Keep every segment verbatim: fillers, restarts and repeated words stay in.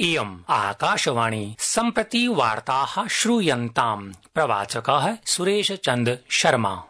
इयम् आकाशवाणी सम्प्रति वार्ताः श्रूयन्ताम्। प्रवाचकः सुरेश चन्द्र शर्मा।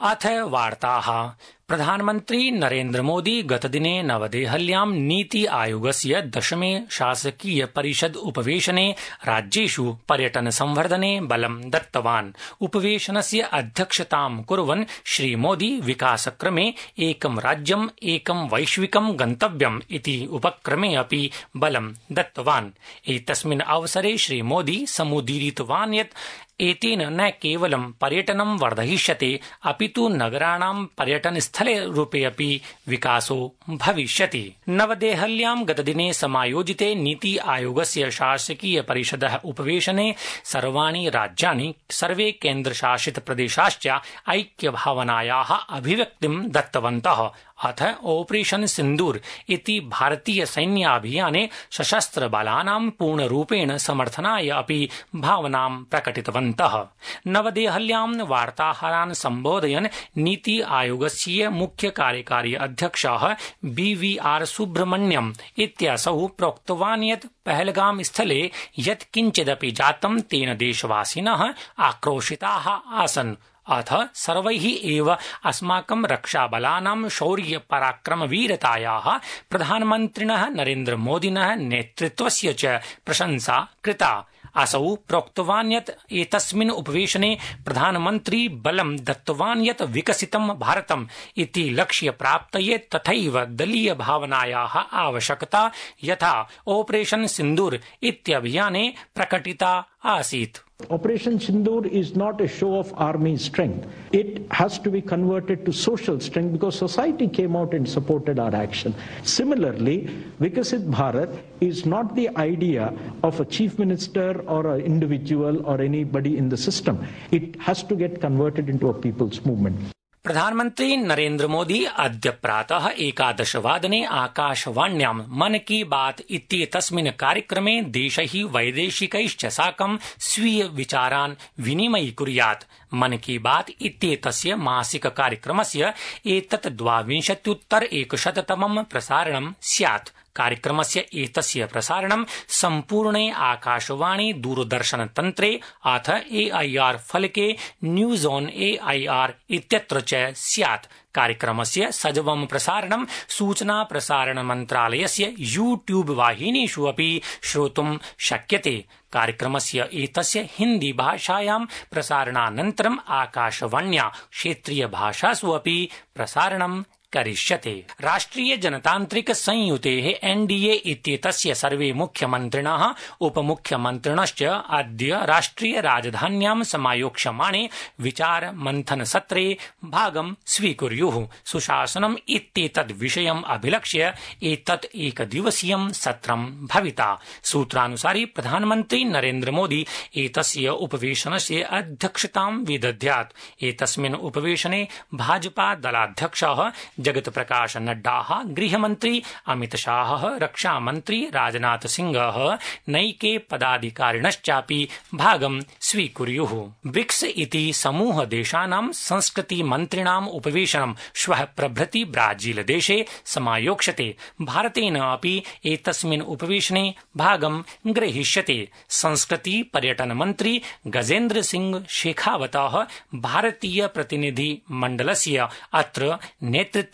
अथ वार्ताः। प्रधानमन्त्री नरेन्द्र मोदी गतदिने नवदेहल्यां नीति आयोगस्य दशमे शासकीय परिषद उपवेशने राज्येषु पर्यटन संवर्धने बलं दत्तवान्। उपवेशनस्य अध्यक्षतां कुर्वन् श्रीमोदी विकासक्रमे एकं राज्यम् एकं वैश्विकं गन्तव्यम् इति उपक्रमे अपि बलं दत्तवान्। एतस्मिन् अवसरे श्रीमोदी समुदीरितवान् यत् एतेन न केवलं पर्यटनं वर्धयिष्यते अपितु नगराणां पर्यटनस्थले रूपे अपि विकासो भविष्यति। नवदेहल्यां गतदिने समायोजिते नीति आयोगस्य शासकीय परिषदः उपवेशने सर्वाणि राज्यानि सर्वे केन्द्रशासित प्रदेशाश्च ऐक्यभावनायाः अभिव्यक्तिं दत्तवन्तः। अथ ऑपरेशन सिन्दूर इति भारतीय सैन्याभियाने सशस्त्र बलानां पूर्णरूपेण समर्थनाय अपि भावनां प्रकटितवन्तः। नवदेहल्यां वार्ताहरान् सम्बोधयन् नीति आयोगस्य मुख्य कार्यकारी अध्यक्षः बी वी आर सुब्रह्मण्यम् इत्यसौ प्रोक्तवान् यत् पहलगाम स्थले यत् किञ्चिदपि जातं तेन देशवासिनः आक्रोशिताः आसन्। अथ सर्वैः एव अस्माकं रक्षाबलानां शौर्य पराक्रम वीरतायाः प्रधानमन्त्रिणः नरेन्द्र मोदिनः नेतृत्वस्य च प्रशंसा कृता। असौ प्रोक्तवान् यत् एतस्मिन् उपवेशने प्रधानमन्त्री बलं दत्तवान् यत् विकसितं भारतम् इति लक्ष्यप्राप्तये तथैव दलीय भावनायाः आवश्यकता यथा ऑपरेशन सिन्दूर इत्यभियाने प्रकटिता आसीत्। Operation Sindoor is not a show of army strength. It has to be converted to social strength because society came out and supported our action. Similarly, Vikasit Bharat is not the idea of a chief minister or an individual or anybody in the system. It has to get converted into a people's movement. प्रधानमन्त्री नरेन्द्र मोदी अद्य प्रातः एकादशवादने आकाशवाण्यां मन की बात इत्येतस्मिन् कार्यक्रमे देशैः वैदेशिकैश्च साकं स्वीय विचारान् विनिमयीकुर्यात्। मन की बात इत्येतस्य मासिक कार्यक्रमस्य एतत् द्वाविंशत्युत्तर एकशततमं प्रसारणं स्यात्। कार्यक्रमस्य एतस्य प्रसारणं सम्पूर्णे आकाशवाणी दूरदर्शन तन्त्रे अथ ए आई आर फलके news on A I R इत्यत्र च स्यात्। कार्यक्रमस्य सजवं प्रसारणं सूचना प्रसारण मन्त्रालयस्य यूट्यूब वाहिनीषु अपि श्रोतुं शक्यते। कार्यक्रमस्य एतस्य हिन्दी भाषायां प्रसारणानन्तरम् आकाशवाण्या क्षेत्रीय भाषासु अपि प्रसारणं करिष्यते। राष्ट्रिय जनतान्त्रिक संयुतेः एन डी ए इत्येतस्य सर्वे मुख्यमन्त्रिणः उपमुख्यमन्त्रिणश्च अद्य राष्ट्रिय राजधान्यां समायोक्ष्यमाणे विचार मन्थन सत्रे भागं स्वीकुर्युः। सुशासनम् इत्येतद् विषयम् अभिलक्ष्य एतत् एकदिवसीयं सत्रं भविता। सूत्रानुसारि प्रधानमन्त्री नरेन्द्र मोदी एतस्य उपवेशनस्य अध्यक्षतां विदध्यात्। एतस्मिन् उपवेशने भाजपा दलाध्यक्षः जगत प्रकाश नड्डाः, गृहमन्त्री अमित शाहः, रक्षामन्त्री राजनाथ सिंहः नैके पदाधिकारिणश्चापि भागं स्वीकुर्युः। ब्रिक्स इति समूह देशानां संस्कृति मन्त्रिणाम् उपवेशनं श्वः प्रभृति ब्राजील देशे समायोक्ष्यते। भारतेन अपि एतस्मिन् उपवेशने भागं ग्रहीष्यते। संस्कृति पर्यटन मन्त्री गजेन्द्र सिंह शेखावतः भारतीय प्रतिनिधि मण्डलस्य अत्र नेतृत्वं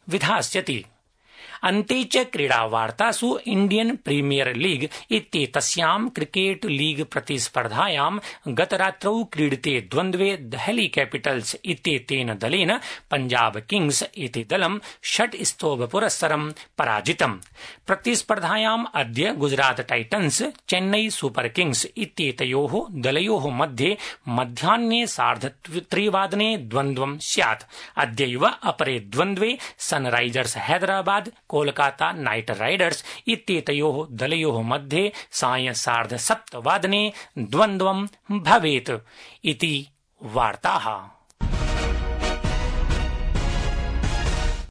विधास्यति। अन्ते च क्रीडावार्तासु इण्डियन प्रीमियर लीग इत्येतस्यां क्रिकेट लीग प्रतिस्पर्धायां गतरात्रौ क्रीडिते द्वन्द्वे देहली कैपिटल्स इत्येतेन दलेन पंजाब किंग्स इति दलं षट् स्तोभपुरस्सरं पराजितम्। प्रतिस्पर्धायाम् अद्य Gujarat titans Chennai super Kings इत्येतयोः दलयोः मध्ये मध्याह्ने सार्धत्रिवादने द्वन्द्वं स्यात्। अद्यैव अपरे द्वन्द्वे Sunrisers Hyderabad Kolkata night Riders इत्येतयोः दलयोः मध्ये सायं सार्धसप्तवादने द्वन्द्वं भवेत् इति वार्ताः।